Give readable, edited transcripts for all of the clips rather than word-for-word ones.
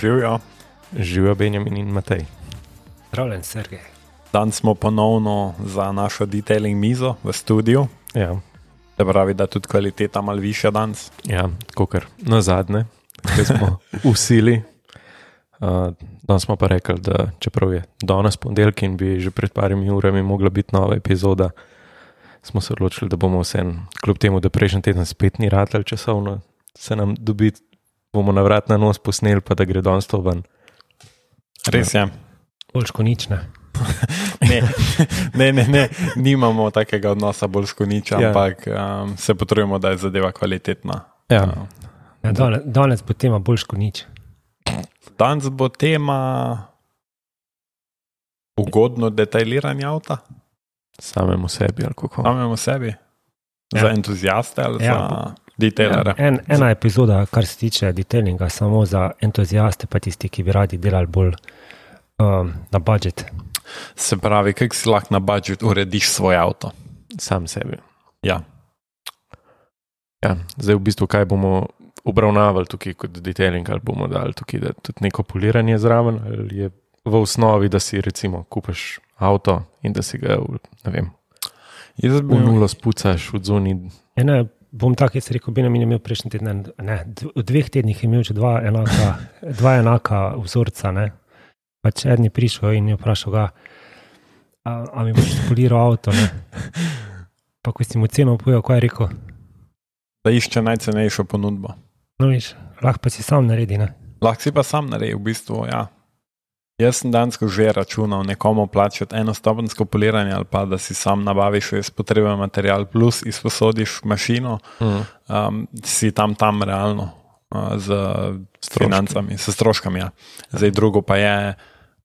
Živijo. Živijo Benjamin in Matej. Zdravljen, Sergej. Danes smo ponovno za našo detailing mizo v studiu. Ja, Se pravi, da tudi kvaliteta malo višja danes. ja kakor na zadnje, ki smo usili. Danes smo pa rekli, da čeprav je danes ponedeljek in bi že pred parimi urami mogla biti nova epizoda, smo se odločili, da bomo vsem, kljub temu, da prejšnji teden spet ni ratel časovno, se nam dobiti, bomo na vrat na nos posneli, pa da gre danes to ven. Res je. Boljško nič, ne? Ne, nimamo takega odnosa bolj s koniča, Ja. ampak se potrudimo, da je zadeva kvalitetna. Ja. Ja, danes bo tema boljško nič. Danes bo tema ugodno detailiranje avta, Samemu sebi ali kako. samemu sebi, Ja. za entuziaste ali Ja. za detailere. Ena epizoda, kar se tiče detailinga, samo za entuziaste, pa tisti, ki bi radi delali bolj na budžet. Se pravi, kako si lahko na budžet urediš svoj avto. Sam sebi. Ja. Ja, zdaj v bistvu, kaj bomo obravnavali tukaj kot detailing, ali bomo dali tukaj da tudi neko poliranje zraven, ali je v osnovi, da si recimo kupiš avto in da si ga, ne vem, Jaz bi v nulo spucaš v zoni. Bom tak, jaz rekel, Benjamin je imel prejšnji teden, v 2 tednih je imel že dva enaka vzorca, ne. Pač eden je prišel in je vprašal ga, a mi boš poliral avto, ne. Pa ko si mu ceno povedal, kaj je rekel, da išče najcenejšo ponudbo. no viš, lahko pa si sam naredi, ne. Lahko si pa sam naredi, v bistvu, ja. Jaz sem dansko že računal nekomu plačati enostopenjsko poliranje ali pa da si sam nabaviš res potreben material plus izposodiš mašino, si tam realno z financami, s stroškami. Ja. Zdaj drugo pa je,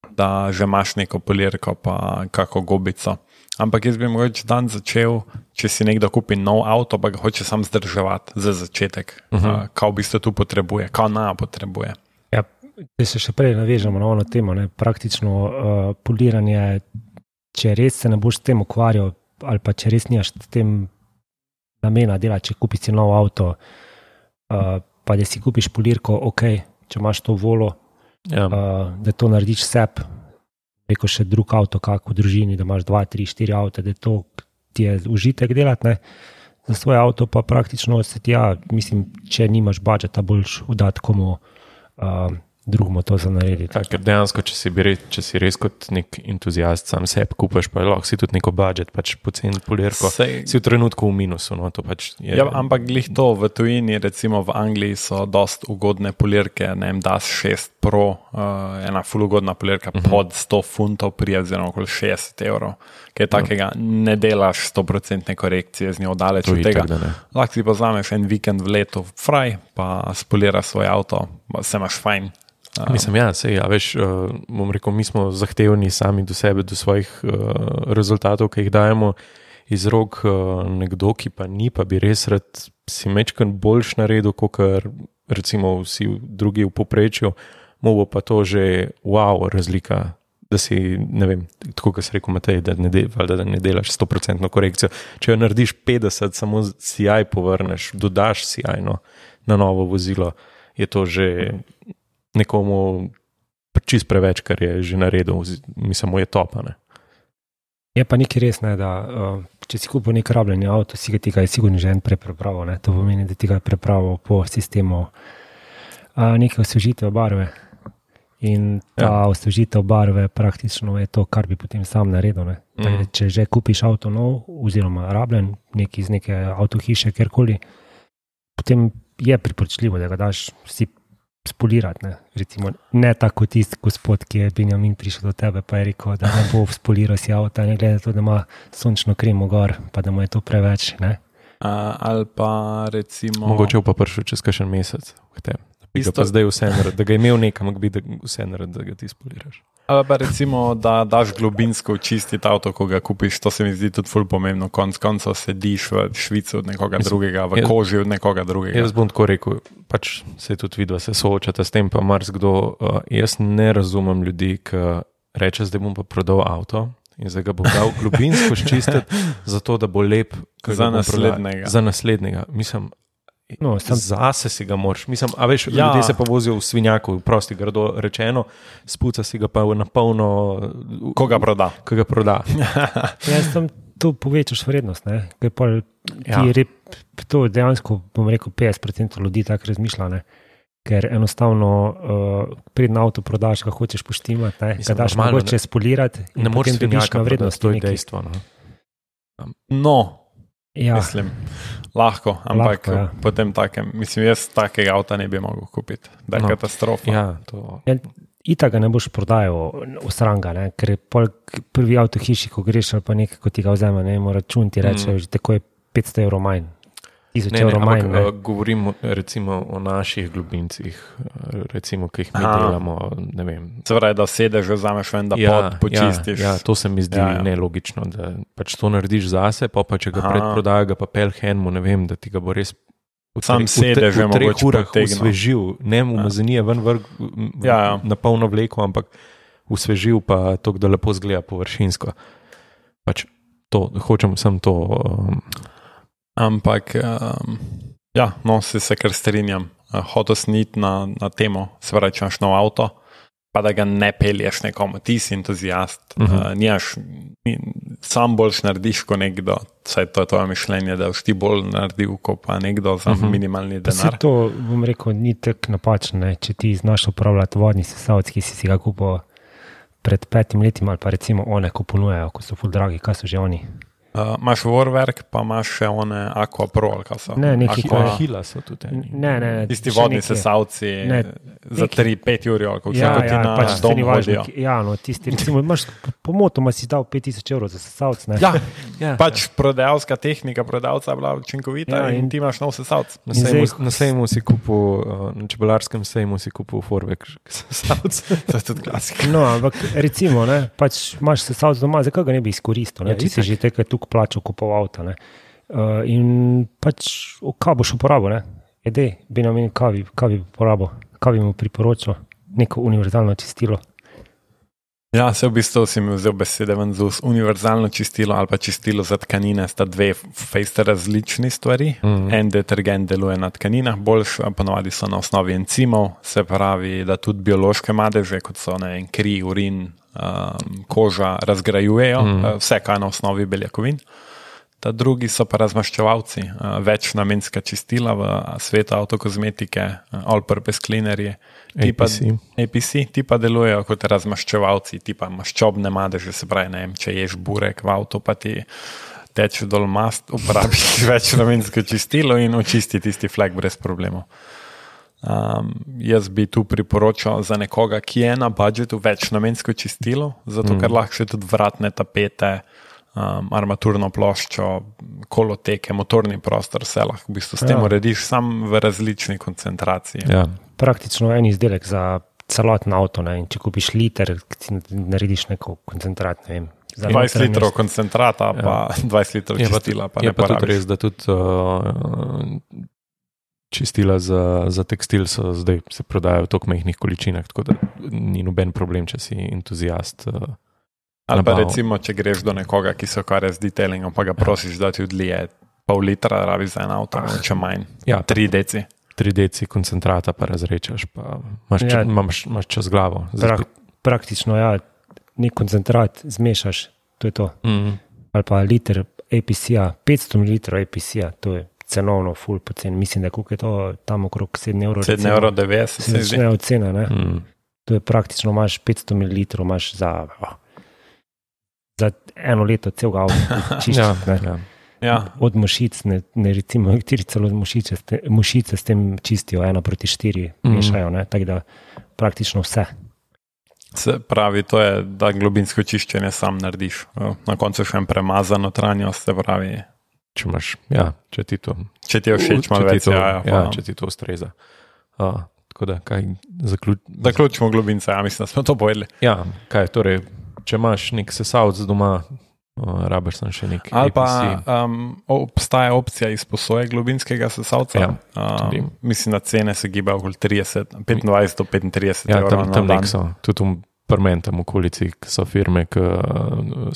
da že imaš neko polirko pa kako gobico. Ampak jaz bi mogoče dan začel, če si nekdo kupi nov avto, pa ga hoče sam zdrževati za začetek. Kaj v bistvu tu potrebuje, kaj potrebuje. Če se še prej navežemo na ono temo, ne, praktično poliranje, če res se ne boš s tem ukvarjal ali pa če res nimaš s tem namena delati, če kupiš si nov avto, pa da si kupiš polirko, ok, če imaš to volo, Ja. da to narediš sebi, reko še drug avto, kako v družini, da imaš 2, 3, 4 avte, da to ti je užitek delati, ne. Za svoje avto pa praktično se ti, mislim, če nimaš budžeta, boljš vdati komu drugemu to za narediti. Ja, ker dejansko, če si res kot nek entuziast sam sebi kupaš, pa lahko si tudi neko budžet, pač poceni polirko, si v trenutku v minusu. No, to pač je, ja, ampak glih to v tujini, recimo v Angliji so dost ugodne polirke, ne vem, DAS 6 Pro, ena ful ugodna polirka pod 100 funtov prije, oziroma okoli 60 evrov, kaj takega ne delaš 100% korekcije z njo daleč od tega. Lahko si pa vzameš en vikend v letu fraj, pa spoliraš svoj avto, se imaš fajn. Mislim, ja, sej, ja, veš, bom rekel, mi smo zahtevni sami do sebe, do svojih rezultatov, ki jih dajemo iz rok nekdo, ki pa ni, pa bi res rad si mečkan boljš naredil, kot recimo vsi drugi v povprečju, mu bo pa to že wow razlika, da si, ne vem, tako kot si rekel Matej, da ne delaš 100% korekcijo. Če jo narediš 50, samo CI povrneš, dodaš CI na novo vozilo, je to že nekomu čist preveč, kar je že naredil, mislim, je topa, ne. Je pa nekaj res, ne, da če si kupil nek rabljeni avto, si ga tega je sigurno že en prepravil, ne. To pomeni, da ti ga je prepravil po sistemu neke osvežitev barve. In ta osvežitev barve praktično je to, kar bi potem sam naredil, ne. Če že kupiš avto nov, oziroma rabljen, iz neke avtohiše, kjerkoli, potem je priporočljivo, da ga daš si spolirati, ne. Recimo, ne tako tisti gospod, ki je Benjamin prišel do tebe, pa je rekel, da ne bo spoliral si avta, ne glede to, da ima sončno kremo gor, pa da mu je to preveč, ne. Ali pa recimo... Mogoče pa prišel čez kakšen mesec k tebi. Pa zdaj vse naredi, da ga je imel nekam, bi da vse naredi, da ga ti spoliraš. Ali pa recimo, da daš globinsko očistiti avto, ko ga kupiš, to se mi zdi tudi ful pomembno. Konec koncev sediš v švici od nekoga drugega, v koži od nekoga drugega. Jaz bom tako rekel, pač se tudi vidva se soočata s tem, pa marsikdo, jaz ne razumem ljudi, ki reče, zdaj bom pa prodal avto in zdaj ga bom dal globinsko ščistiti, zato da bo lep za naslednjega. Za naslednjega. Mislim, Zase si ga moraš. Mislim, a veš, ljudje se pa vozijo v svinjaku, prosti grdo rečeno, spuca si ga pa na polno, ko ga proda. Jaz tam to povečaš vrednost, ne? Ker pa to dejansko, bom rekel, 50% ljudi tako razmišlja, ne? Ker enostavno predn avto prodaš, ga hočeš poštimati, ga daš mogoče spolirati in potem dobiš na vrednost. To je dejstvo. Mislim, lahko, ampak potem takem, mislim, jaz takega avta ne bi mogel kupiti, da je katastrofa. Ita ga ne boš prodajal v sranga, ne? Ker je prvi avto hiši, ko greš ali pa nekaj, ko ti ga vzame, ne mora račun ti reče, že tako je 500 evrov manj. Govorim recimo o naših globincih, recimo, ki jih mi delamo, ne vem. Se pravi, da sedež vzameš ven, da počistiš. Ja, to se mi zdi nelogično, da pač to narediš zase, pa če ga predprodaja, ga pa pelhenmu, ne vem, da ti ga bo res sam sedež v 3 urah osvežil, ne umazanije ven vrg na polno vleko, ampak osvežil pa to, da lepo zgleda površinsko. Pač to, hočem sem to... Ampak, se kar strinjam. Hotel sniti na temo, se pravi, če imaš nov avto, pa da ga ne pelješ nekomu, ti si entuzijast. Sam boljš narediš kot nekdo, saj to je tvoje mišljenje, da boš ti bolj naredil kot pa nekdo za minimalni denar. To, bom rekel, ni tako napačno, ne? Če ti znaš upravljati vodni sesalec, ki si ga kupil pred 5 leti, ali pa recimo one, ko ponujajo, ko so ful dragi, kaj so že oni? Imaš Warwerk, pa imaš še one Aqua Pro, ali kaj so? Ne, neki Hila so tudi. Ne. Tisti vodni sesalci za 3-5 ur, kako ti na dom hodijo. Tisti, recimo, imaš pomotoma si dal 5000 evrov za sesalc, ne? Pač prodajalska tehnika prodavca je bila učinkovita in ti imaš nov sesalc. Na sejmu si kupil, na čebelarskem sejmu si kupil Warwerk sesalc. To je tudi klasika. No, ampak recimo, ne, pač imaš sesalc doma, zakaj ga ne bi izkoristil, ne? Če si že tekaj tukaj plačal kupov avta, ne. In pač, kaj boš uporabil, ne? Bi namenil kaj bi uporabil, kaj bi mu priporočil, neko univerzalno čistilo. Ja, se v bistvu si mi vzel besede ven z univerzalno čistilo ali pa čistilo za tkanine, sta dve fejste različni stvari. En detergent deluje na tkaninah, boljš, ponovadi so na osnovi encimov, se pravi, da tudi biološke madeže, kot so kri, urin, koža, razgrajujejo, vse kaj na osnovi beljakovin. Ta drugi so pa razmaščevalci, večnamenska čistila v svetu avtokozmetike, all-purpose cleanerje, APC, ti pa delujejo kot razmaščevalci, ti pa maščobne madeže, se pravi, ne vem, če ješ burek v avto, pa ti teče dol mast, uporabiš večnamensko čistilo in očisti tisti flek brez problemov. Jaz bi tu priporočal za nekoga, ki je na budžetu večnamensko čistilo, zato ker lahko še tudi vratne tapete, armaturno ploščo, koloteke, motorni prostor, vse lahko v bistvu s tem urediš sam v različni koncentraciji. Ja. Praktično en izdelek za celoten avto, ne? In če kupiš liter, narediš neko koncentrat, ne vem. 20 litrov koncentrata, pa 20 litrov čistila, pa ne porabiš. Je pa tudi res, da tudi čistila za tekstil zdaj se prodajajo v toliko majhnih količinah, tako da ni noben problem, če si entuzijast. Ali pa recimo, če greš do nekoga, ki se ukvarja z detailingom, pa ga prosiš, da ti odlije pol litra, rabi za en avto, če manj. 3 deci. 3 deci koncentrata pa razrečaš, pa imaš čez glavo. Praktično, nek koncentrat zmešaš, to je to. Ali pa liter APC-a, 500 ml APC-a, to je cenovno ful poceni. Mislim, da je to tam okrog 7 evrov. 7,90 se začne od cena, ne? To je praktično, imaš 500 ml, imaš za 1 leto celega avta čiščiti, ne? Ja. Od mušic, ne recimo, nekateri celo mušice s tem čistijo 1:4, mešajo, ne? Tako da praktično vse. Se pravi, to je, da globinsko čiščenje sam narediš. Na koncu še en premazan notranjost, se pravi. Če imaš, če ti to... Če ti je všeč malo več, če ti to ustreza. Tako da, kaj zaključimo globince, mislim, da smo to povedali. Ja, kaj, torej, če imaš nek sesalc doma, rabiš sem še nek ali pa obstaja opcija izposoje globinskega sesalca. Mislim, da cene se gibajo okoli 25 do 35 evrov na dan. So, tudi v Parmentem okolici, ki so firme, ki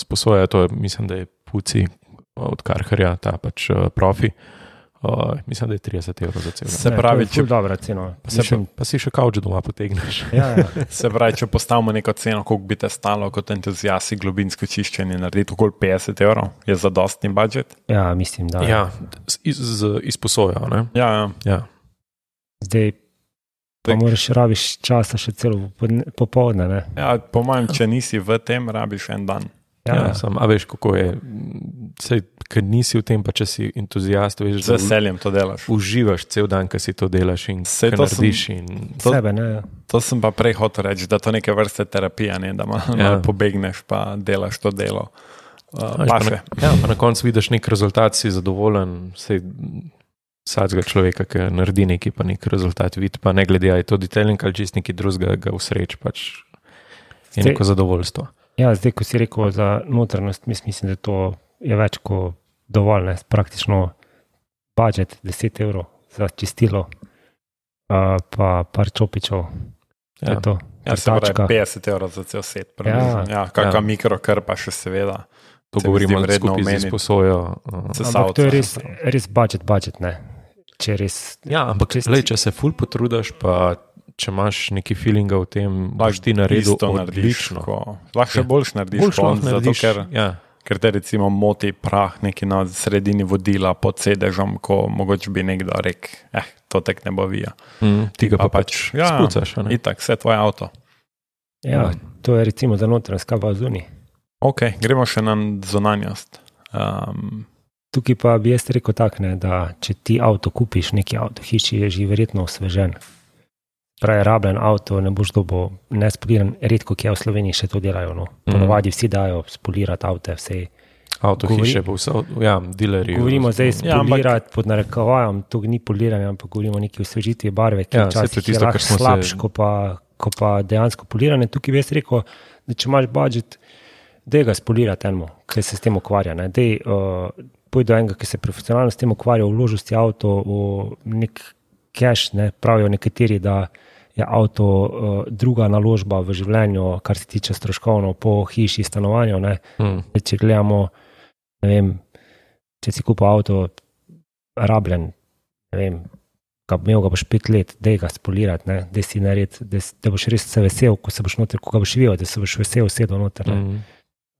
sposojajo, to je, mislim, da je Puci od Karharja, ta pač profi. Mislim, da je 30 evrov za celo. Se pravi, če je dobra cena. Pa si še kavč doma potegneš. Ja. Se pravi, če postavimo neko ceno, koliko bi te stalo kot entuzijasti globinsko čiščenje narediti, okoli 50 evrov, je zadostni budžet? Ja, mislim, da. Ja, izposojo, ne? Ja. Zdaj pa moraš rabiš časa še celo popoldne, ne? Ja, po mojem, če nisi v tem, rabiš en dan. Ja, a veš, kako je. Sej, ker nisi v tem, pa če si entuzijast, veš, z veseljem to delaš. Uživaš cel dan, ko si to delaš in ko narediš. Sebe, ne? To sem pa prej hotel reči, da to neke vrste terapija, ne? Da malo pobegneš, pa delaš to delo. Pa na koncu vidiš nek rezultat, si zadovoljen, vsakega človeka, ki naredi neki, pa nek rezultat vidi, pa ne glede, je to detailing ali čist neki drugega ga usreč, pač je neko zadovoljstvo. Ja, zdaj, ko si rekel za notranjost, mislim, da to je več kot dovolj, ne? Praktično budžet 10 evrov za čistilo, pa par čopičev. Ja, se pravi 50 evrov za cel set. Kakva mikrokrpa še seveda. To govorimo skupaj z izposojo. Ampak to je res budžet, ne? Če res... Ja, ampak če se ful potrudaš, pa če imaš neki feelinga v tem, boš ti naredil odlično. Lahko še boljš narediš, zato ker te recimo moti prah neki na sredini vodila pod sedežem, ko mogoče bi nekdo rekel, to tek ne bo vija. Ti ga pa pač spucaš. Itak, vse tvoje avto. Ja, to je recimo za notranjost, kaj pa zunaj. Ok, gremo še na zunanjost. Tukaj pa bi jaz rekel tak, ne, da če ti avto kupiš, neki avto hiši, je že verjetno osvežen. Pravi, rabljen avto ne boš dobil nespoliran, redko kje v Sloveniji še to delajo. No. Ponovadi vsi dajo spolirati avte, vse. Avto hiše, dilerji. Govorimo zdaj spolirati pod narekovajem, to ni poliranje, ampak govorimo o neki osvežitvi barve, ki včasih je lahko slabš, ko pa dejansko poliranje. Tukaj bi jaz rekel, da če imaš budžet, da ga spolirati enemu, ki se s tem ukvarja. Pojdi do enega, ki se profesionalno s tem ukvarja, vložil avto v nek cash, ne, pravijo nekateri, da je avto druga naložba v življenju, kar se tiče stroškovno po hiši, stanovanju. Če gledamo, ne vem, če si kupil avto rabljen, ne vem, imel ga boš 5 let, daj ga spolirati, ne, da si nared, da boš res se vesel, ko se boš noter, ko ga boš videl, da se boš vesel sedel noter.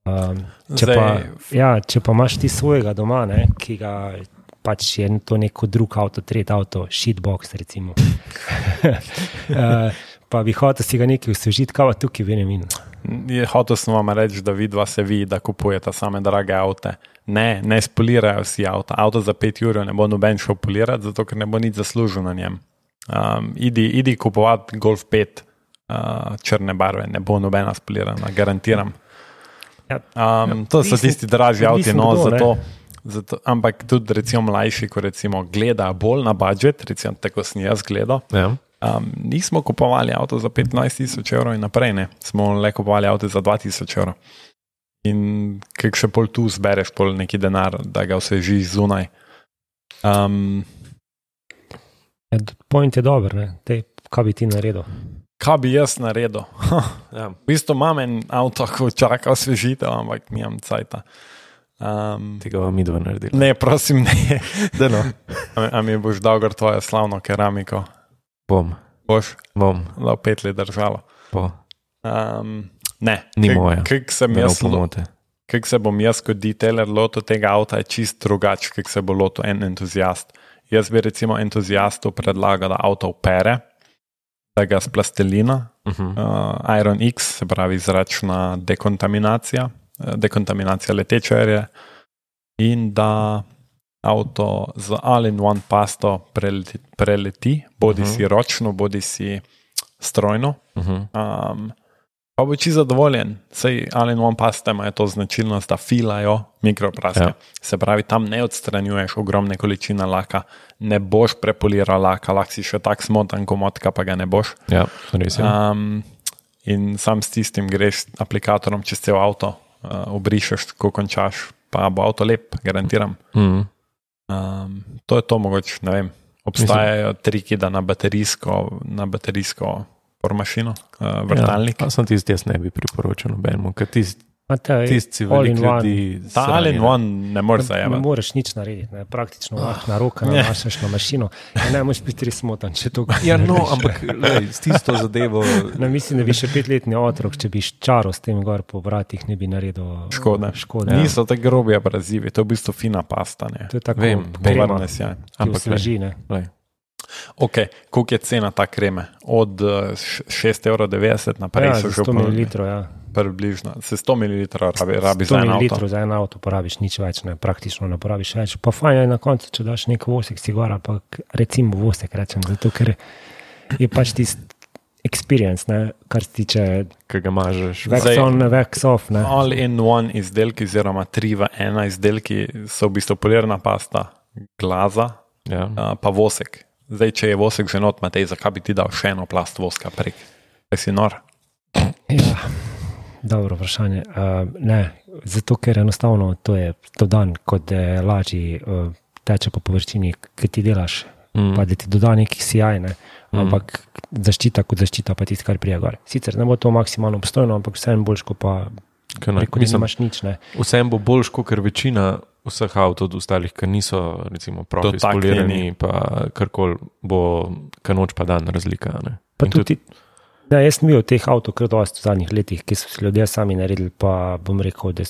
Če pa imaš ti svojega doma, ne, ki ga pač je to neko drug avto, tret avto, shitbox recimo. Pa bi hotel si ga nekaj osvežiti, kaj pa tukaj Benjamin? Hotel sem vam reči, da vidva se vidi, da kupujete same drage avte. Ne spolirajo si avta. Avto za 5 ur ne bo noben šel polirati, zato ker ne bo nič zaslužil na njem. Idi kupovati Golf 5 črne barve, ne bo nobena spolirana, garantiram. To so tisti dražji avti, zato, ampak tudi recimo mlajši, ko recimo gleda bolj na budžet, recimo tako sem jaz gledal, nismo kupovali avto za 15,000 evrov in naprej, ne. Smo le kupovali avto za 2,000 evrov. In kak še pol tu zbereš pol neki denar, da ga osvežiš zunaj. Point je dober, ne. Kaj bi ti naredil? Kaj bi jaz naredil? V bistvu imam en avto, ko čaka osvežitev, ampak nimam cajta. Tega vam midva naredila. Ne, prosim, ne. A mi boš dal gor tvojo slavno keramiko? Bom. Boš? Bom. Da 5 let držalo. Ne. Ni moja. Kak se bom jaz kot detailer lotil tega avta, je čist drugač, kak se bo lotil en entuzijast. Jaz bi recimo entuzijastu predlagal, da avto opere, da ga s plastelina, Iron X, se pravi zračna dekontaminacija letečerje, in da avto z all-in-one pasto preleti, bodi si ročno, bodi si strojno. Pa bo čisto zadovoljen. Sej all-in-one pasta imajo to značilnost, da filajo mikropraske. Se pravi, tam ne odstranjuješ ogromne količine laka, ne boš prepoliral laka, lahko si še tak smotan komotka, pa ga ne boš. Ja, res je. In sam s tistim greš aplikatorjem čez cel avto, obrišeš, ko končaš, pa bo avto lep, garantiram. To je to mogoče, ne vem. Obstajajo triki, da na baterijsko pormašino, vrtalnik. Sem tisti, jaz ne bi priporočil nobenemu, ker Tisti velik ljudi. Ta all-in-one ne moreš Ne zajemati. moreš nič narediti, ne. Praktično na roka nanašaš na mašino. Ne moreš biti res smotan, če to Ja, no, ampak lej, s tisto zadevo. Ne, mislim, da bi še 5-letni otrok, če bi čaro s tem gor po vratih, ne bi naredil škode. Niso tako grobi abrazivi, to je v bistvu fina pasta. Ne. To je tako Vem, krema, Povrne se, ja. ki osveži, ne. Ok, koliko je cena ta kreme? Od 6,90 € naprej so že 100 ml, ja. približno. Se 100 ml rabi za 100 en avto. ml za en avto porabiš nič več, ne, praktično ne porabiš več. Pa fajn je na koncu, če daš nek vosek si gor, pa recimo vosek rečem, zato ker je pač tisti experience, ne, kar se tiče Ki ga mažeš. wax on, wax off, ne. All-in-one izdelki, oziroma 3 v 1 izdelki so v bistvu polirna pasta, glaza, Ja. pa vosek. Zdaj, če je vosek že not, Matej, zakaj bi ti dal še eno plast voska prek? Kaj si nor? Ja, dobro vprašanje. Ne, zato ker enostavno to je dodan, kot da je lažji teče po površini, ki ti delaš, pa da ti doda neki sijaj, ne. Ampak zaščita kot zaščita pa tisto, kar prije gor. Sicer ne bo to maksimalno obstojno, ampak vseeno boljš, ko pa preko da nimaš nič, ne. Vsem bo boljš, kot večina vseh avtov od ostalih, ki niso recimo profi spolirani, pa karkoli bo, noč pa dan razlika. Ne? Pa tudi, da jaz sem bil teh avtov kar dosti v zadnjih letih, ki so se ljudje sami naredili, pa bom rekel, da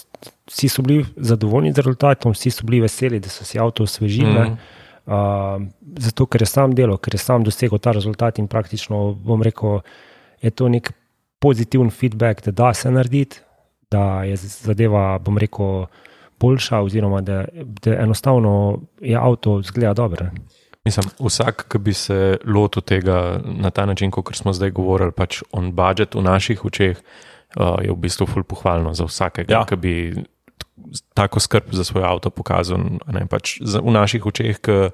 vsi so bili zadovoljni z rezultatom, vsi so bili veseli, da so si avto osvežili, zato ker je sam delo, ker je sam dosegel ta rezultat in praktično, bom rekel, je to nek pozitiven feedback, da se narediti, da je zadeva, bom rekel, boljša, oziroma da enostavno je avto zgleda dobro. Mislim, vsak, ki bi se lotil tega na ta način, kot smo zdaj govorili, pač on budget v naših očeh, je v bistvu ful pohvalno za vsakega, ki bi tako skrb za svoj avto pokazal. Ne, pač v naših očeh, ki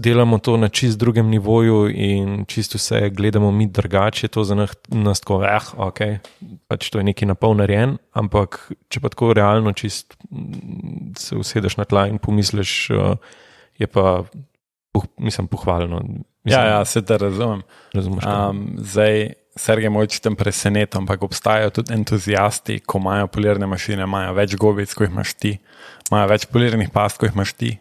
delamo to na čist drugem nivoju in čisto vse gledamo mi drugače, to za nas tako, ok, pač to je nekaj napol narejen, ampak če pa tako realno čist se usedeš na tla in pomisliš, je pa, mislim, pohvalno. Mislim, ja, se te razumem. Zdaj, Sergej Mojč tem presenetil, ampak obstajajo tudi entuzijasti, ko imajo polirne mašine, imajo več gobic, ko jih imaš ti, imajo več polirnih past, ko jih imaš ti.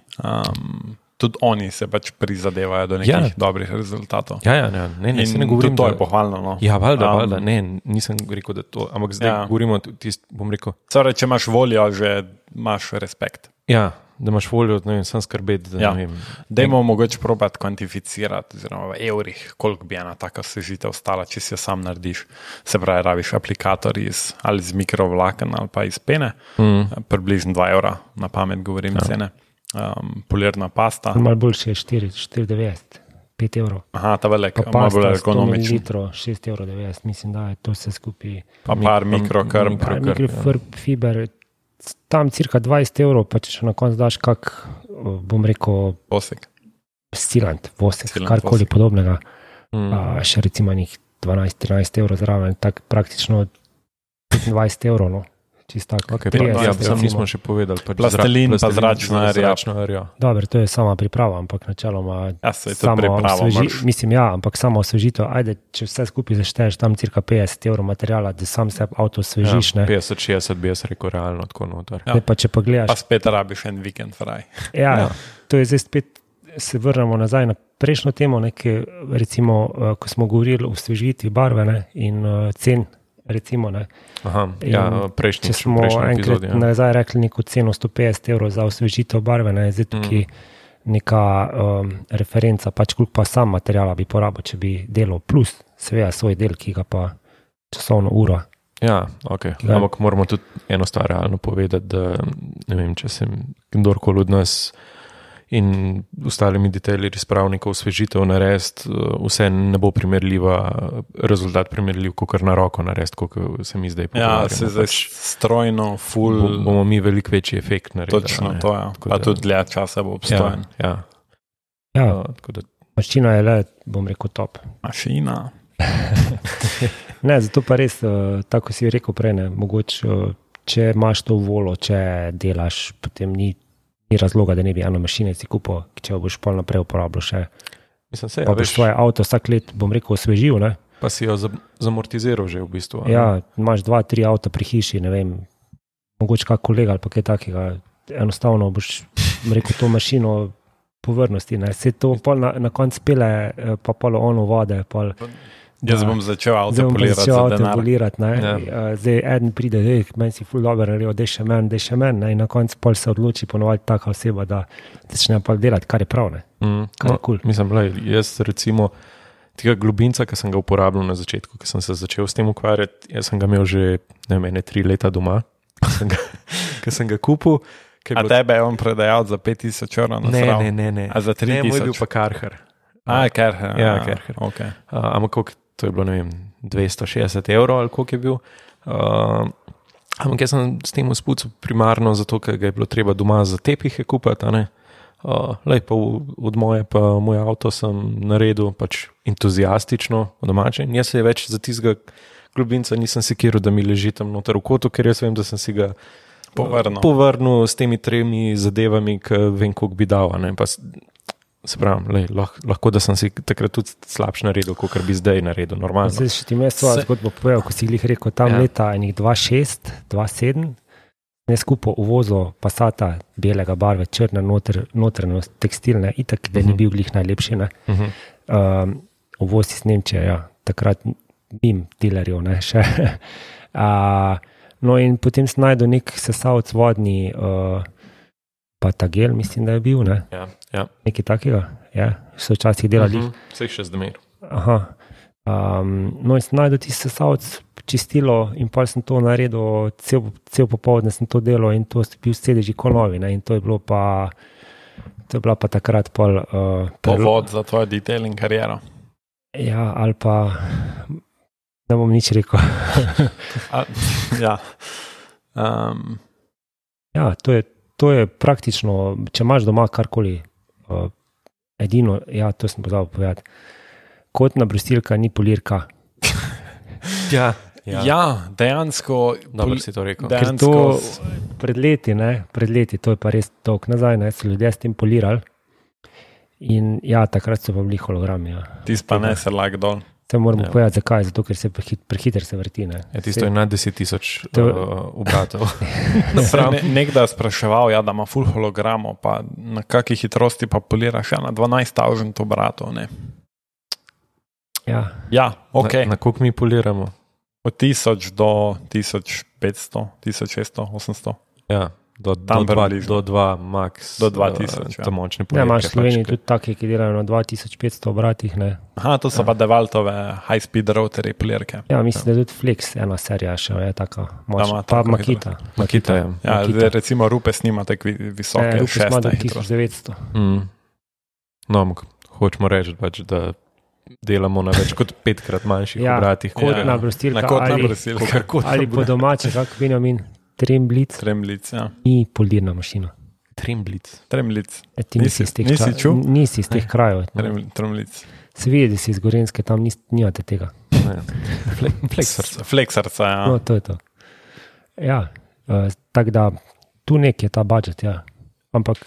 Tudi oni se pač prizadevajo do nekih dobrih rezultatov. Ja, ne, se ne govorim, to je pohvalno. No. Ja, valjda, ne, nisem rekel, da to, ampak zdaj govorimo tist, bom rekel. Torej, če imaš voljo, že imaš respekt. Ja, da imaš voljo, ne vem, sam skrbeti, da ne vem. Dajmo mogoče probati kvantificirati, oziroma v evrih, koliko bi ena taka osvežitev stala, če si jo sam narediš. Se pravi, rabiš aplikator ali iz mikrovlaken ali pa iz pene, približno 2 € na pamet govorim cene. Polirna pasta. Malo boljše je 4,90, 5 €. Aha, ta velik, malo bolj ergonomičen. 6,90 €, mislim, da je to vse skupaj. Pa par mikrokrb. Mikrofiber, tam cirka 20 €, pa če še na koncu daš kak, bom rekel, vosek, vosek, karkoli podobnega, še recimo njih 12-13 € zraven, tak praktično 25 €, no. Okay, sam nismo še povedali. Plastelin pa zračna rja. Dobro, to je sama priprava, ampak načeloma ampak samo osvežitev. Ajde, če vse skupaj zašteješ, tam cirka 50 € materijala, da sam se avto osvežiš. 50-60 bi jaz rekel realno tako noter. Pa če pa gledaš... Pa spet rabiš en vikend fraj. Ja, to je zdaj spet, se vrnemo nazaj na prejšnjo temo, recimo, ko smo govorili o osvežitvi barve in cen, recimo, ne. Prejšnji če smo enkrat nazaj rekli neko ceno 150 € za osvežitev barve, ne, zdaj tukaj neka referenca, pač koliko pa sam materijala bi porabil, če bi delal plus seveda svoj del, ki ga pa časovno uro. Ja, ok, ampak moramo tudi eno stvar realno povedati, da ne vem, če sem kdorkoli od nas in ostalimi detajlerji spravnikov osvežitev narediti, vse ne bo primerljiva, rezultat primerljiv, kot na roko narediti, kot se mi zdaj pogovarjamo. Ja, se zdaj strojno, full... Bomo mi veliko večji efekt naredili. Točno to, ja. Pa tudi dlje časa bo obstojen. Ja, mašina je le, bom rekel, top. Mašina. Ne, zato pa res, tako si rekel prej, ne, mogoče, če imaš to volo, če delaš, potem ni razloga, da ne bi eno mašine si kupil, če jo boš pol naprej uporabljal še. Mislim, pa boš svoje avto vsak let, bom rekel, osvežil, ne? Pa si jo zamortiziral že v bistvu. Ja, imaš 2-3 avta pri hiši, ne vem, mogoče kak kolega ali pa kaj takega. Enostavno boš rekel to mašino povrnosti. Se to pol na konc pele, pa pol ono vode. Jaz bom začel avto polirati za denar. Zdaj eden pride, meni si ful dobro naredil, dej še men, in na koncu pol se odloči ponovati taka oseba, da začne pa delati, kar je prav, ne. Kar je cool. Mislim, jaz recimo tega globinca, ki sem ga uporabljal na začetku, ki sem se začel s tem ukvarjati, jaz sem ga imel že, ne vem, 3 leta doma, ki sem ga kupil. A tebe je on predajal za 5,000 evrov na srav? Ne. A za 3,000? Ne, moj je bil pa Karher. Karher. Ja, Karher. Okay. Ampak koliko, to je bilo, ne vem, 260 evrov ali koliko je bil. Ampak jaz sem s tem uspucal primarno zato, ker ga je bilo treba doma za tepihe kupati, pa od moj avto sem naredil pač entuziastično v domače. In jaz se je več za tistega globinca nisem sekiral, da mi leži tam noter v kotu, ker jaz vem, da sem si ga povrnil s temi 3 zadevami, ki vem, koliko bi dal. Se pravi, lahko da sem si takrat tudi slabš naredil, kot bi zdaj naredil, normalno. Zdaj še ti me svojo zgodbo povedal, ko si jih rekel, tam leta 2006, 2007, ne skupaj uvozil Passata belega barve, črne, notranjost, tekstilne, itak, da ni bil glih najlepši. Uvoz iz Nemčije, ja, takrat mim dealerjev, ne, še. No in potem sem najdel nek sesalc vodni, Patagel, mislim, da je bil, ne? Ja. Nekaj takega, ja, so včasih delali. Vse še zdaj. Aha. No in sem najdel tisti sesalc, čistilo in pa sem to naredil, cel popoldne sem to delal in to je bil sedeži konovi, ne? In to je bila pa takrat pol... povod za tvojo detailing kariero. Ja, ali pa... Ne bom nič rekel. Ja. Ja, to je praktično, če imaš doma karkoli, edino, ja, to sem pozabil povedati, kotna brustilka ni polirka. Ja, dejansko... Dobro si to rekel. Ker to pred leti, to je pa res dolg nazaj, so ljudje s tem polirali in ja, takrat so pa bili hologrami. Ja. Tis pa ne se lag dol. To moramo povedati, zakaj, zato ker se prehiter se vrti. Tisto je nad 10,000 obratov. Nekdaj spraševal, da ima full hologramov, pa na kakih hitrosti pa poliraš, na 12,000 obratov, ne? Ja, ok. Na koliko mi poliramo? Od 1000 do 1500, 1600, 800. Ja. Do 2 max. Do 2000, to močne polirke. Ja, imaš v Sloveniji tudi take, ki delajo na 2500 obratih, ne. Aha, to so pa Devaltove high-speed routerje polirke. Ja, mislim, da tudi Flex, ena serija še je taka močna. Pa Makita. Makita, ja. Ja, zdaj recimo Rupes nima tak visoke, Rupes ima do 1900. No, hočemo reči, da delamo na več kot 5-krat manjših obratih. Kotna brustilka ali po domače, kako Benjamin. Tremblic, ja. Ni polirna mašina. Tremblic. Ti nisi iz teh krajev. Tremblic. Se vidi, da si iz Gorenjske, tam nimate tega. Fleksarca, ja. No, to je to. Ja, tako da tu nek je ta budžet, ja. Ampak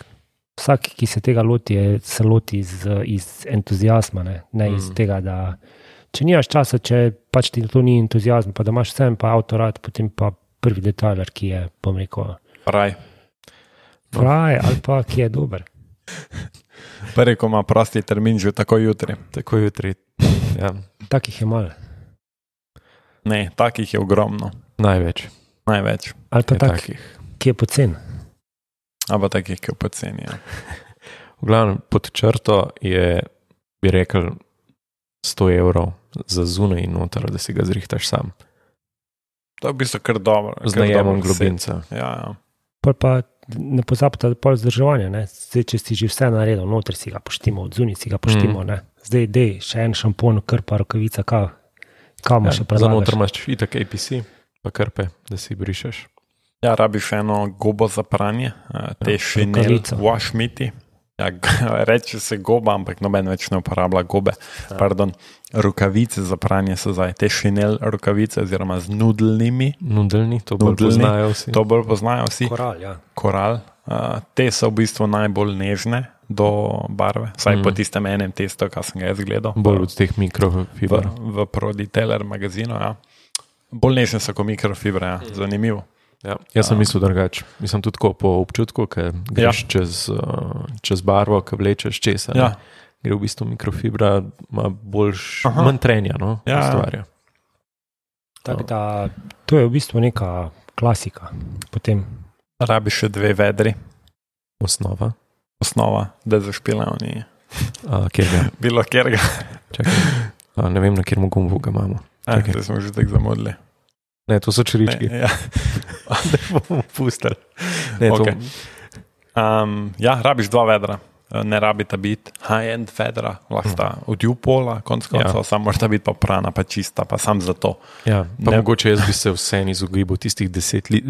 vsak, ki se tega loti, se loti iz entuzijazma, ne iz tega, da če nimaš časa, če pač ti to ni entuzijazm, pa da imaš vsem pa avtorat, potem pa prvi detailer, ki je, bom rekel... Fraj, ali pa ki je dober. Prvi, ko ima prosti termin, že tako jutri. Ja. Takih je malo. Ne, takih je ogromno. Največ. Ali pa takih, ki je pocen. Ali pa takih, ki je pocen, ja. V glavnem, pod črto je, bi rekel, 100 evrov za zunaj in noter, da si ga zrihtaš sam. To je v bistvu kar dobro. Z najemom globinca. Ja. Pa ne pozabite, da je vzdrževanje. Zdaj, če si že vse naredil, noter si ga poštimo, od zunaj si ga poštimo. Zdaj, še en šampon, krpa, rokavica, kamo še predlagaš. Za noter imaš itak APC, pa krpe, da si brišeš. Ja, rabiš eno gobo za pranje, te Chanel wash miti. Ja, reče se goba, ampak noben več ne uporablja gobe. Pardon, rokavice za pranje so zdaj te Chanel rokavice, oziroma z nudelnimi. Nudelni, to bolj poznajo vsi. Koral, ja. Koral. Te so v bistvu najbolj nežne, do barve, vsaj po tistem enem testu, kar sem ga jaz gledal. Bolj od teh mikrofiber. V Proditeller magazinu, ja. Bolj nežne so kot mikrofibre, ja. Zanimivo. Ja, jaz sem mislil drugače. Mislim tudi tako po občutku, ker greš čez barvo, ker vlečeš česa. Ja. Gre v bistvu mikrofibra, ima manj trenja, no, stvarja. Tako da, to je v bistvu neka klasika. Potem rabiš še 2 vedri. Osnova, da zašpilajo ni. Kjerga? Bilo kjerga. Čakaj, ne vem, na kjermu gumbu ga imamo. Zdaj smo že tako zamodli. Ne, to so črički. Ja. Da bomo pustili. Rabiš 2 vedra. Ne rabita biti high-end vedra, lahko sta od U-Pola, konc koncev, samo morata biti pa prana, pa čista, pa sam za to. Ja, pa mogoče jaz bi se vseeno izogibal tistih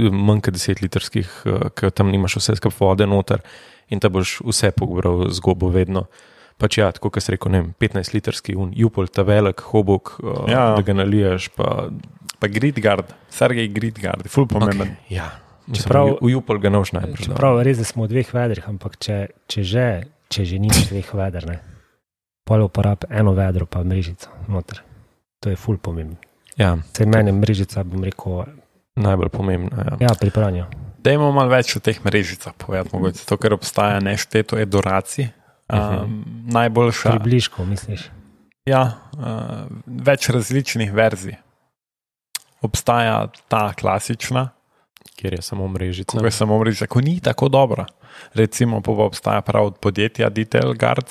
manj kot 10 litrskih, ker tam nimaš vse skup vode noter in ta boš vse pogobral z gobo vedno. Pač ja, tako kot si rekel, 15 litrski U-Pol, ta velik hobok, da ga naliješ, pa Gridgard, Sergej Gridgard, ful pomemben. Okay, ja. Čeprav v U-Pol ga noš najprej. Čeprav res, da smo v 2 vedrih, ampak če že nimaš 2 veder, pol uporab 1 vedro pa mrežico noter. To je ful pomembno. Ja. Saj meni mrežica, bom rekel, najbolj pomembna. Ja, pri pranju. Dajmo malo več o teh mrežicah povedati, mogoče to, ker obstaja nešteto edoracij. Najboljša. Približko, misliš? Ja, več različnih verzij. Obstaja ta klasična, kjer je samo mrežica. Ko je samo mrežica, ko ni tako dobra. Recimo, pa obstaja prav od podjetja Detail Guard,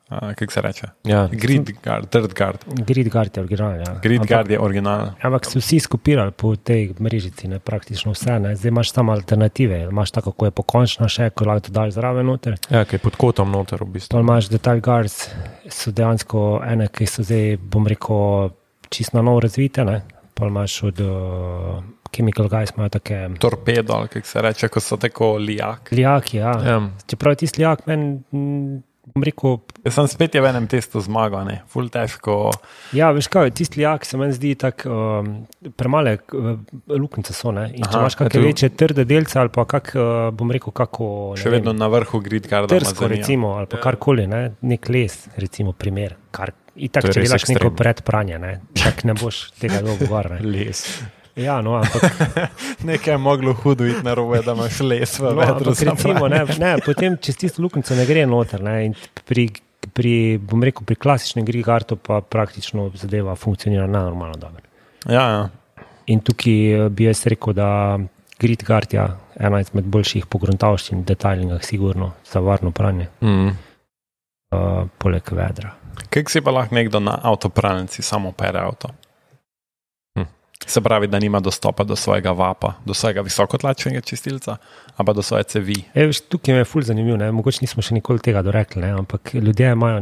kako se reče? Ja. Gridgard, Dirtguard. Gridgard je original, ja. Gridgard je original. Ampak so vsi skopirali po tej mrežici, praktično vse. Zdaj imaš samo alternative. Imaš tako, kako je pokončna še, ko lahko to daš zraven noter. Ja, ki je pod kotom noter v bistvu. To imaš Detail Guards, so dejansko ene, ki so zdaj, bom rekel, čisto na novo razvite, Pa imaš od Chemical Guys, imajo take torpedo, ali kako se reče, ko so tako lijak. Lijaki, ja. Čeprav je tisti lijak, meni, bom rekel... Jaz sem spet v enem testu zmagal, ful težko. Ja, veš kaj, tisti lijak se meni zdi tako premale luknjice so, In če imaš kakšne večje trde delce ali pa bom rekel, kako... Še vedno na vrhu Gridgarda trsko, recimo, ali pa karkoli, nek les, recimo, primer, in tako, če delaš neko predpranje, tako ne boš tega dolgo gor, Les. Ja, ampak... Nekaj je moglo hudo iti na robe, da imaš les v vedru. Recimo, potem čez tisto luknjico ne gre noter, in bom rekel, pri klasičnem Gridgardu pa praktično zadeva funkcionira normalno dobro. Ja. In tukaj bi jaz rekel, da Gridgard je ena izmed boljših pogruntavščin v detaljingah, sigurno, za varno pranje. Poleg vedra. Kako si pa lahko nekdo na avtopralnici samo pere avto? Se pravi, da nima dostopa do svojega vapa, do svojega visokotlačnega čistilca, ali pa do svoje cevi. Tukaj me je ful zanimivo, mogoče nismo še nikoli tega dorekli, ampak ljudje imajo,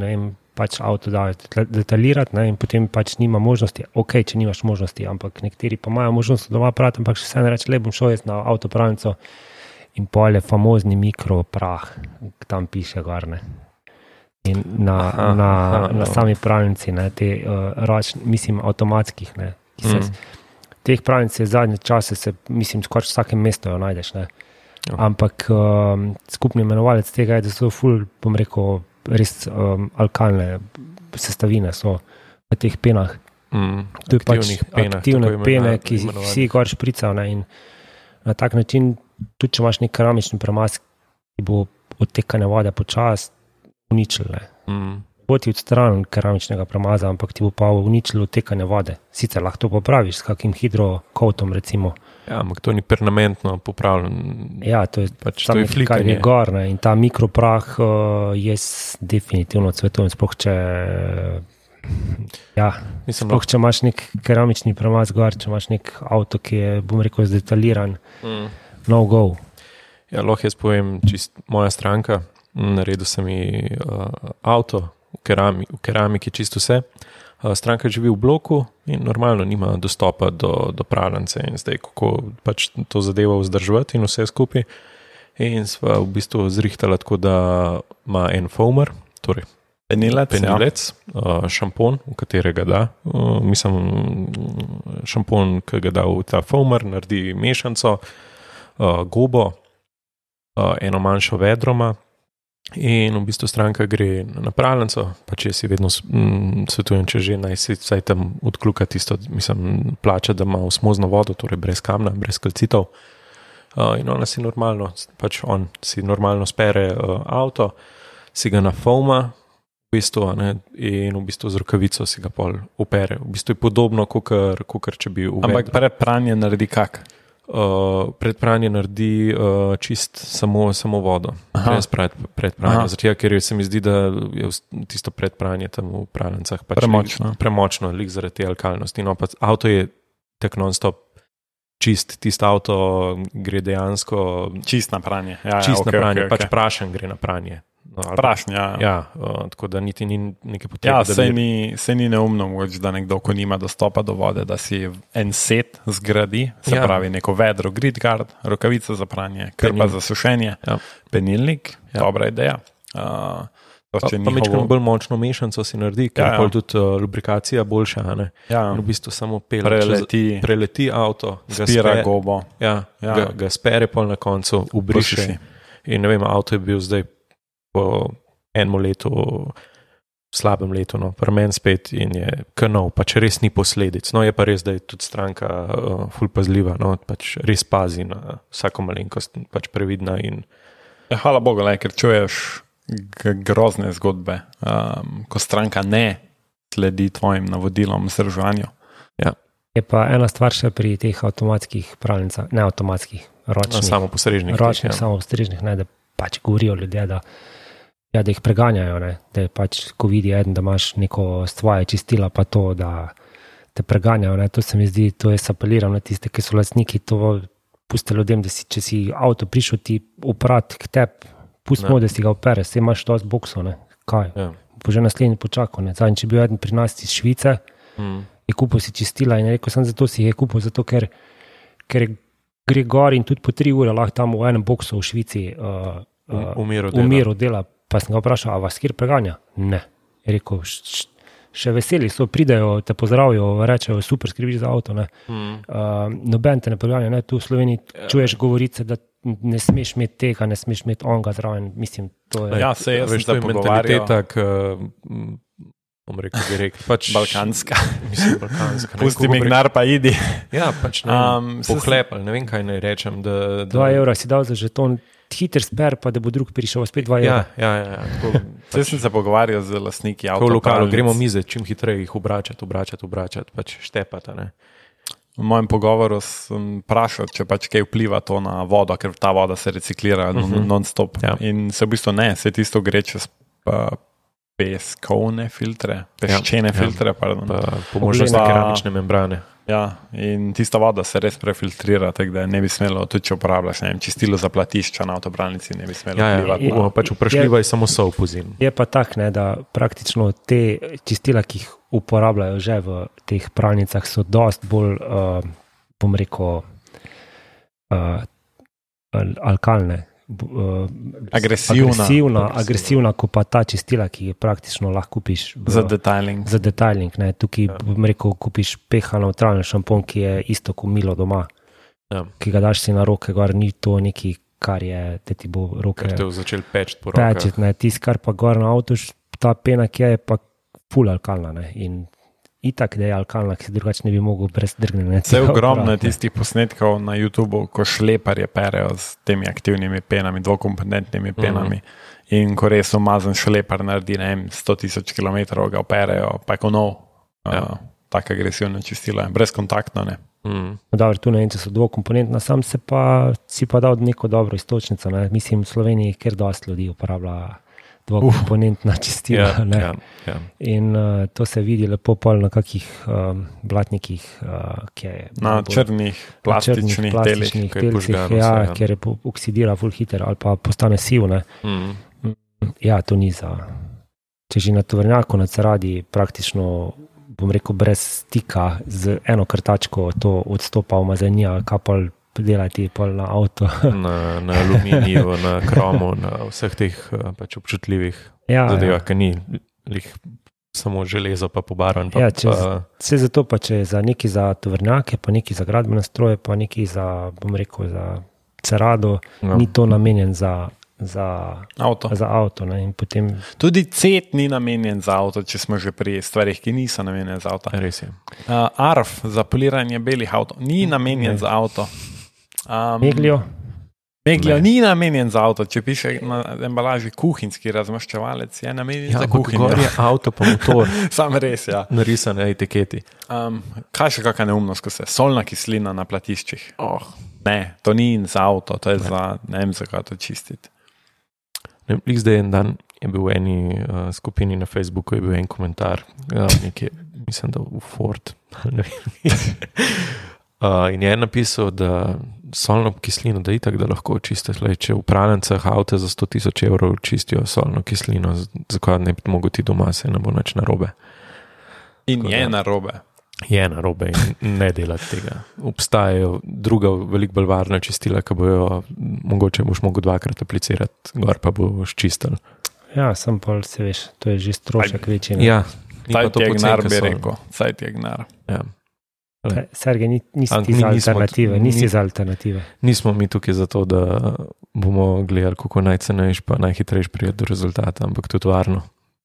pač avto dajo detaljirati, in potem pač nima možnosti, če nimaš možnosti, ampak nekateri pa imajo možnost doma prati, ampak še vse ne reče, bom šel jaz na avtopralnico in pol je famozni mikroprah, tam piše gor, In na sami pralnici, te mislim, avtomatskih, ki se teh pralnic je zadnje čase mislim, skoraj v vsakem mestu jo najdeš, Ampak skupni imenovalec tega je, da so ful, bom rekel, res alkalne sestavine so v teh penah. To je pač aktivne pene, ki jih vsi gor špricajo, in na tak način, tudi če imaš nek keramični premaz, ki bo odtekanje vode počas uničil, Bo ti odstranil keramičnega premaza, ampak ti bo pa uničilo odtekanje vode. Sicer lahko to popraviš s kakim hidrokoutom, recimo. Ja, ampak to ni permanentno popravljeno. Ja, to je pač samo kar je gor, In ta mikroprah jaz definitivno cvetujem, sploh če sploh če imaš nek keramični premaz gor, če imaš nek avto, ki je, bom rekel, zdetaliran, no go. Ja, lahko jaz povem, čist moja stranka, naredil sem mi avto, v keramiki čisto vse. Stranka živi v bloku in normalno nima dostopa do pralnice in zdaj kako pač to zadevo vzdrževati in vse skupaj. In sva v bistvu zrihtala tako, da ima en foamer, torej penilec, šampon, v katerega da. Mislim, šampon, ki ga da v ta foamer, naredi mešanco, gobo, eno manjšo vedroma, In v bistvu stranka gre na napravljanco, pa če si vedno svetujem, če že naj si vsaj tam odkluka tisto, mislim, plača, da ima osmozno vodo, torej brez kamna, brez kalcitov. In ona si normalno, pač on si normalno spere avto, si ga nafoma, v bistvu, ne, in v bistvu z rokavico si ga pol opere. V bistvu je podobno, kakor če bi uvedel. Ampak pred pranje naredi kak? Pred pranje naredi čist samo vodo, brez pred pranje, zato ker se mi zdi, da je tisto pred pranje tam v pralnicah pač premočno, lik zaradi te alkalnosti. No, pa avto je tak non-stop čist, tisto avto gre dejansko čist na pranje. Čist na pranje, pač prašen gre na pranje. No, prašen, tako da niti ni neke potrebe. Se ni neumno, da nekdo, ko nima dostopa do vode, da si en set zgradi, se pravi neko vedro, grid guard, rokavica za pranje, krpa za sušenje, penilnik, dobra ideja. Pa mečkam bolj močno mešanco si naredi, ker je tudi lubrikacija boljša. V bistvu samo preleti avto, spira gobo. Ga spere pol na koncu, ubriše. In ne vem, avto je bil zdaj po enem letu, slabem letu, pri meni spet in je kanov, pač res ni posledic. No, je pa res, da je tudi stranka ful pazljiva, pač res pazi na vsako malenkost, pač previdna. Hvala Bogu, ker čuješ grozne zgodbe, ko stranka ne sledi tvojim navodilom v vzdrževanju. Je pa ena stvar še pri teh avtomatskih pralnicah, ne avtomatskih, ročnih. Samopostrežnih. Ročnih, samopostrežnih, da pač govorijo ljudje, da jih preganjajo, da je pač, ko vidi eden, da imaš neko svoje čistila, pa to, da te preganjajo, to se mi zdi, to jaz apeliram na tiste, ki so lastniki, to puste ljudem, da če si avto prišel ti uprat k tebi, pustimo, da si ga opere, se imaš dosti boksov, kaj, bo že naslednji počakal, zadnji, če bi bil eden pri nas iz Švice, je kupil si čistila in je rekel, sem zato si je kupil, zato ker gre gor in tudi po 3 ure lahko tam v enem boksu v Švici umiru dela. Pa sem ga vprašal, a vas kjer preganja? Ne. Je rekel, še veseli so, pridejo, te pozdravijo, rečejo, super, skrbiš za avto. Noben te ne preganja, tu v Sloveniji čuješ govorice, da ne smeš imeti tega, ne smeš imeti onga zraven. Mislim, to je... se jaz sem se pogovarjal. Bom rekel direkt, pač balkanska. Mislim, balkanska. Pusti mi gnar, pa idi. Ja, pač ne, pohlepal, ne vem, kaj naj rečem. 2 evra si dal za žeton, hiter sper, pa da bo drug prišel, spet 2 evra. Ja. Sem se pogovarjal z lastniki avtopralnic. V lokalu gremo mize, čim hitreje jih obračati, pač štepata, ne. V mojem pogovoru sem vprašal, če pač kaj vpliva to na vodo, ker ta voda se reciklira non-stop. In se v bistvu ne, se tisto gre čez peskovne filtre, peščene filtre, pardon. Po možnosti keramične membrane. Ja, in tista voda se res prefiltrira, tako da ne bi smelo, tudi če uporabljaš, ne vem, čistilo za platišča na avtopralnici, ne bi smelo vplivati. Pač vprašljiva je samo sol po zim. Je pa tak, da praktično te čistila, ki jih uporabljajo že v teh pralnicah, so dosti bolj, bom rekel, alkalne. Agresivna, kot pa ta čistila, ki je praktično lahko kupiš za detailing. Tukaj bom rekel, kupiš pH neutralni šampon, ki je isto kot milo doma, ki ga daš si na roke, gor ni to neki, kar je, da ti bo roke kar te začel pečiti po rokah. Tisti, kar pa gor na avtu, ta pena, ki je pa ful alkalna, in itak, da je alkalna, ki se drugače ne bi mogel brez drgnenja. Vse ogromno je tistih posnetkov na YouTubu, ko šleparje perejo s temi aktivnimi penami, dvokomponentnimi penami. In ko res umazan šlepar naredi, 100,000 kilometrov ga operejo, pa je ko nov, tako agresivno čistilo, brezkontaktno, ne. Dobro, tu ne vem, če so dvokomponentna, sam si pa dal neko dobro istočnico, mislim, v Sloveniji, kjer dosti ljudi uporablja dvokomponentna čistila. In to se vidi lepo pol na kakih blatnikih, na črnih plastičnih delih, kjer je oksidira ful hiter ali pa postane siv. Ja, to ni za... Če že na tovornjaku na Ceradi praktično, bom rekel, brez stika z eno krtačko to odstopa umazanija, kapal delati pol na avto. Na aluminiju, na kromu, na vseh teh pač občutljivih zadevah, ki ni samo železo pa pobarvan. Vse zato pa, če za neki za tovornjake, pa neki za gradbene stroje, pa neki za, bom rekel, za Cerado, ni to namenjen za za Avto. avto. Ne? In potem Tudi cet ni namenjen za avto, če smo že pri stvarih, ki niso namenjene za avto. Res je. Arf za poliranje belih avto ni namenjen za avto. meglijo. Meglio ni namenjen za avto, če piše na embalaži kuhinjski razmaščevalec, je namenjen za kuhinjo. Gor je avto pa motor, Sam res, ja. narisan na etiketi. Kaj še kakšna neumnost, ko se solna kislina na platiščih? Oh. Ne, to ni za avto, to je za, ne vem, za kaj to čistiti. Zdaj en dan je bil v eni skupini na Facebooku, je bil en komentar, nekje, mislim, da v Ford. In je napisal, da solno kislino, da itak, da lahko čistiš. Če v pralnicah avte za 100,000 evrov čistijo solno kislino, zakaj ne bi mogel ti doma, se ne bo nič narobe. In je narobe. Je narobe in ne delati tega. Obstajajo druga, veliko bolj varna čistila, ki bojo, mogoče boš mogel 2-krat aplicirati, gor pa boš čistil. Ja, sem pa se veš, to je že strošek večji. Ja, ni Saj pa to ti je gnar, poceni, bi solno. rekel. Saj ti je gnar. Ja. Sergej, nisi Ampak ti mi za nismo- alternative, nisi za alternative. Nismo mi tukaj zato, da bomo gledali, kako najcenejš pa najhitrejš prijeti do rezultata, ampak tudi varno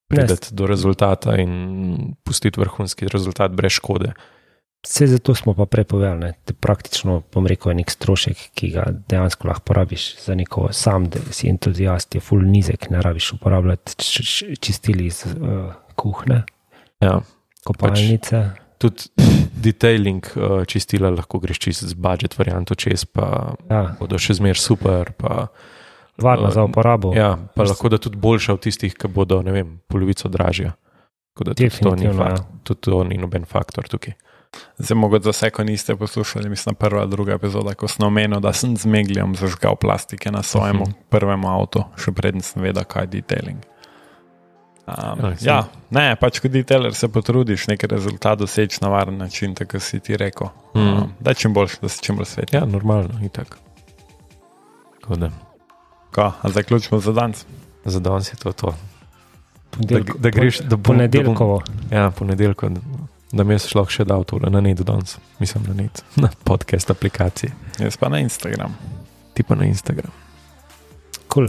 prideti do rezultata in pustiti vrhunski rezultat brez škode. Vse zato smo pa prepovedali, da praktično, bom rekel, je nek strošek, ki ga dejansko lahko porabiš za neko sam, da si entuzijast, je full nizek, ne rabiš uporabljati čistili iz kuhne, Ja. kopalnice. Tudi detailing čistila lahko greš čisto z budget varianto čez, pa Ja, bodo še zmer super, pa varna za uporabo. ja, pa lahko da tudi boljša od tistih, ki bodo, ne vem, polovico dražja. Tako da tudi to ni Definitivno, fakt, tudi to ni noben faktor tukaj. Zdaj, mogoče za vse, ko niste poslušali, mislim, prva, druga epizoda, ko sem omenil, da sem z Meglijem zažgal plastike na svojem prvem avtu, še predtem sem vedel, kaj je detailing. Ja, ne, pač kot detailer se potrudiš nekaj rezultat doseči na varen način, tako si ti rekel. Da je čim boljš, da si čim bolj svet. Ja, normalno, itak. Tako da, A zaključimo za danes. za danes je to. Ponedeljko- Da greš, da bom- ponedeljkovo. Ja, ponedeljko, da mi jaz lahko še dal tole na net danes. Mislim, na net, na podcast aplikaciji. Jaz pa na Instagram. Ti pa na Instagram. Cool.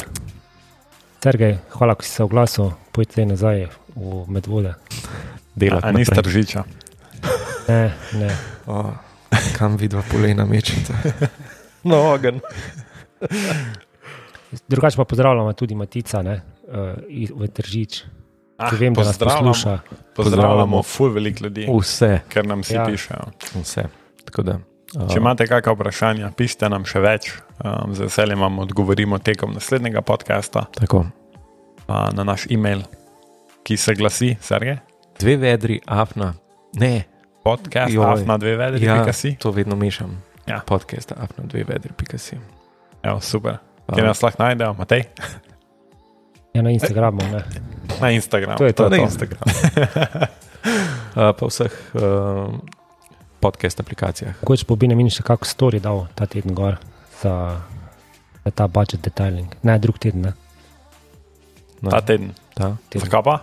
Sergej, hvala, ko si se oglasil, pojdite nazaj v Medvode. Delati A niste naprej. Tržiča? Ne, ne. Kam vidva polena mečita? No, ogen. Drugače pa pozdravljamo tudi Matica, ne, v Tržič, ki vem, da nas posluša. Pozdravljamo ful veliko ljudi, Vse, ker nam si Ja. pišejo. vse. Tako da, Če imate kakšna vprašanja, pišite nam še več. Z veseljem vam odgovorimo tekom naslednjega podcasta tako. na naš e-mail, ki se glasi, Sergej? 2 vedri, afna, ne. Podcast Joj. afna 2 vedri, Ja, pika si. to vedno mešam. Ja. Podcast afna 2 vedri.si. Evo, super. Kjer nas lahko najdejo, Matej? Ja, na Instagramu, ne. Na Instagramu. To je to. Na Instagramu. Pa vseh podcast aplikacijah. Mogoče bo Benjamin še kako story dal ta teden gor za ta budget detailing. Ne, drug teden, ne. No, Ta teden. ta. Teden. Zakaj pa?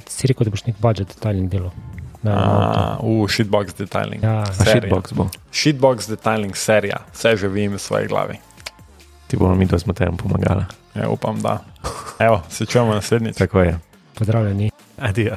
Si rekel, da boš nek budget detailing delal. Shitbox detailing. Ja, Serija. Shitbox bo. Shitbox detailing serija. Vse že vim v svoji glavi. Ti bomo mi, da smo tem pomagali. Ja, upam, da. Evo, se čujemo naslednjič. Tako je. pozdravljeni. Adijo.